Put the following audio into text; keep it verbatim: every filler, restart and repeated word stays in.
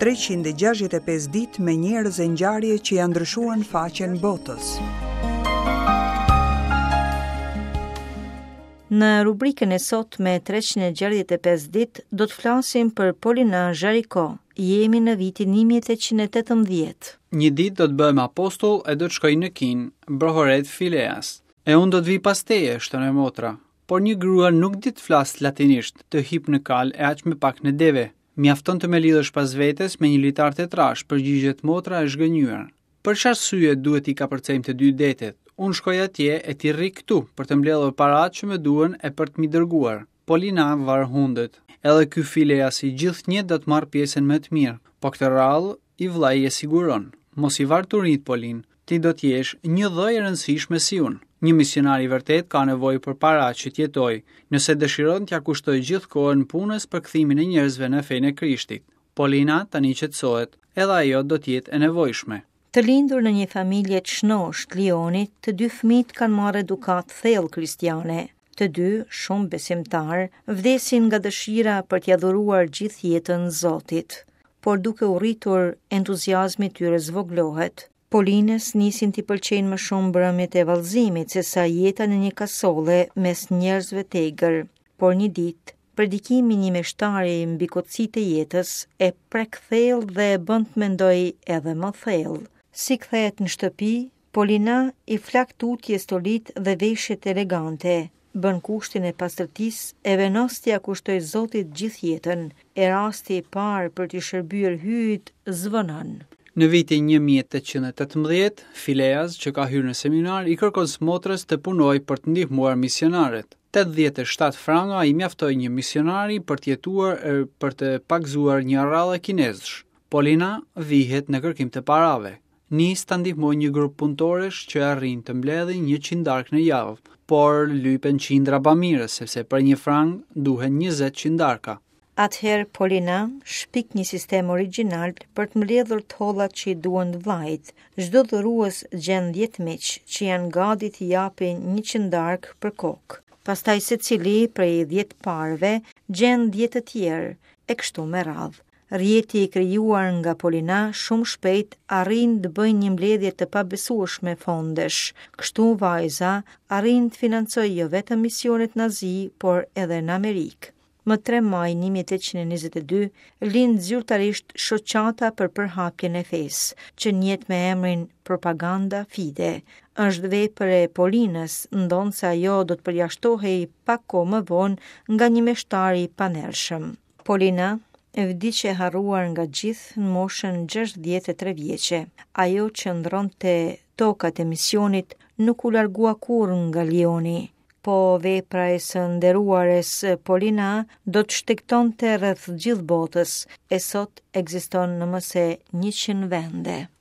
treqind e gjashtëdhjetë e pesë ditë me njerëz e ngjarje që janë ndryshuar në faqen botës. Në rubrikën e sotme treqind e gjashtëdhjetë e pesë ditë do të flasim për Polina Jaricot. Jemi në vitin një mijë e tetëqind e tetëmbëdhjetë. Një ditë do të bëhem apostull e do të shkoj në Kinë, brohoret Fileas. E unë do të vi pas teje, shton e motra. Por një grua nuk di të flas latinisht, të hip në kal e aq më pak në deve. Mjafton të më lidhësh pas vetes me një litar të trash, përgjigjet motra e zhgënjyer. Për çfarë arsye duhet i kapërcejmë të dy detet? Unë shkoj atje e ti rri këtu për të mbledhur paratë që më duhen e për të m'i dërguar. Polina var hundët. Edhe ky Fileasi gjithnjë do të marrë pjesën më të mirë, po këtë radhë i vllai e siguron. Mos i var turinjt, Polin, ti do të jesh një dhë e rëndësishme si unë. Një misionar i vërtet ka nevojë për para që të jetojë, nëse dëshiron t'ia kushtojë gjithë kohën punës për kthimin e njerëzve në fenë e Krishtit. Polina tani qetësohet, edhe ajo do të jetë e nevojshme. Të lindur në një familje të shnoshtë të Lionit, të dy fëmijët kanë marrë edukatë thellë kristiane. Të dy, shumë besimtar, vdesin nga dëshira për t'ia dhuruar gjithë jetën Zotit. Por duke u rritur, entuziazmi tyre zvogëlohet. Polinës nisin t'i pëlqejnë më shumë mbrëmjet e vallëzimit se sa jeta në një kasolle mes njerëzve të egër. Por një ditë, predikimi i një meshtari mbi kotësitë e jetës e prek thellë dhe e bën të mendoj edhe më thellë. Si kthehet në shtëpi, Polina i flak tutje stolit dhe veshjet elegante, bën kushtin e pastërtisë e vendos t'ia kushtoj Zotit gjithë jetën, e rasti i parë për t'i shërbyer hyjit zvonon. Në vitin një mijë e tetëqind e tetëmbëdhjetë, Fileas, që ka hyrë në seminar, i kërkon smotrës të punojë për të ndihmuar misionarët. Tetëdhjetë e shtatë franga i mjaftoi një misionari për të jetuar e për të pagëzuar një rrallë kinezësh. Polina vihet në kërkim të parave. Nis ta ndihmojë një grup punëtorësh që arrin të mbledhin një qindark në javë, por lypen qindra bamirës, sepse për një frang duhen njëzet qindarka. Atëherë Polina shpik një sistem origjinal për të mbledhur të hollat që i duhen vllait. Çdo dhurues gjen dhjetë miq që janë gati t'i japin një qindark për kokë. Pastaj secili prej dhjetë parëve gjen dhjetë të tjerë, e kështu me radhë. Rrjeti i krijuar nga Polina shumë shpejt arrin të bëjë një mbledhje të pabesueshme fondesh. Kështu vajza arrin të financojë jo vetëm misionet në Azi, por edhe në Amerikë. Më tre maj një mijë e tetëqind e njëzet e dy, lind zyrtarisht Shoqata për përhapjen e fesë, që njihet me emrin Propaganda Fide. Është vepër e Polinës, ndonëse ajo do të përjashtohej pak kohë më vonë nga një meshtar i panershëm. Polina vdiq e harruar nga gjithë në moshën gjashtëdhjetë e tre vjeçe. Ajo që ndronte tokat e misionit nuk u largua kurrë nga Lioni. Po vepra e së nderuares Polina do të shtegtonte rreth gjithë botës, e sot ekziston në më se njëqind vende.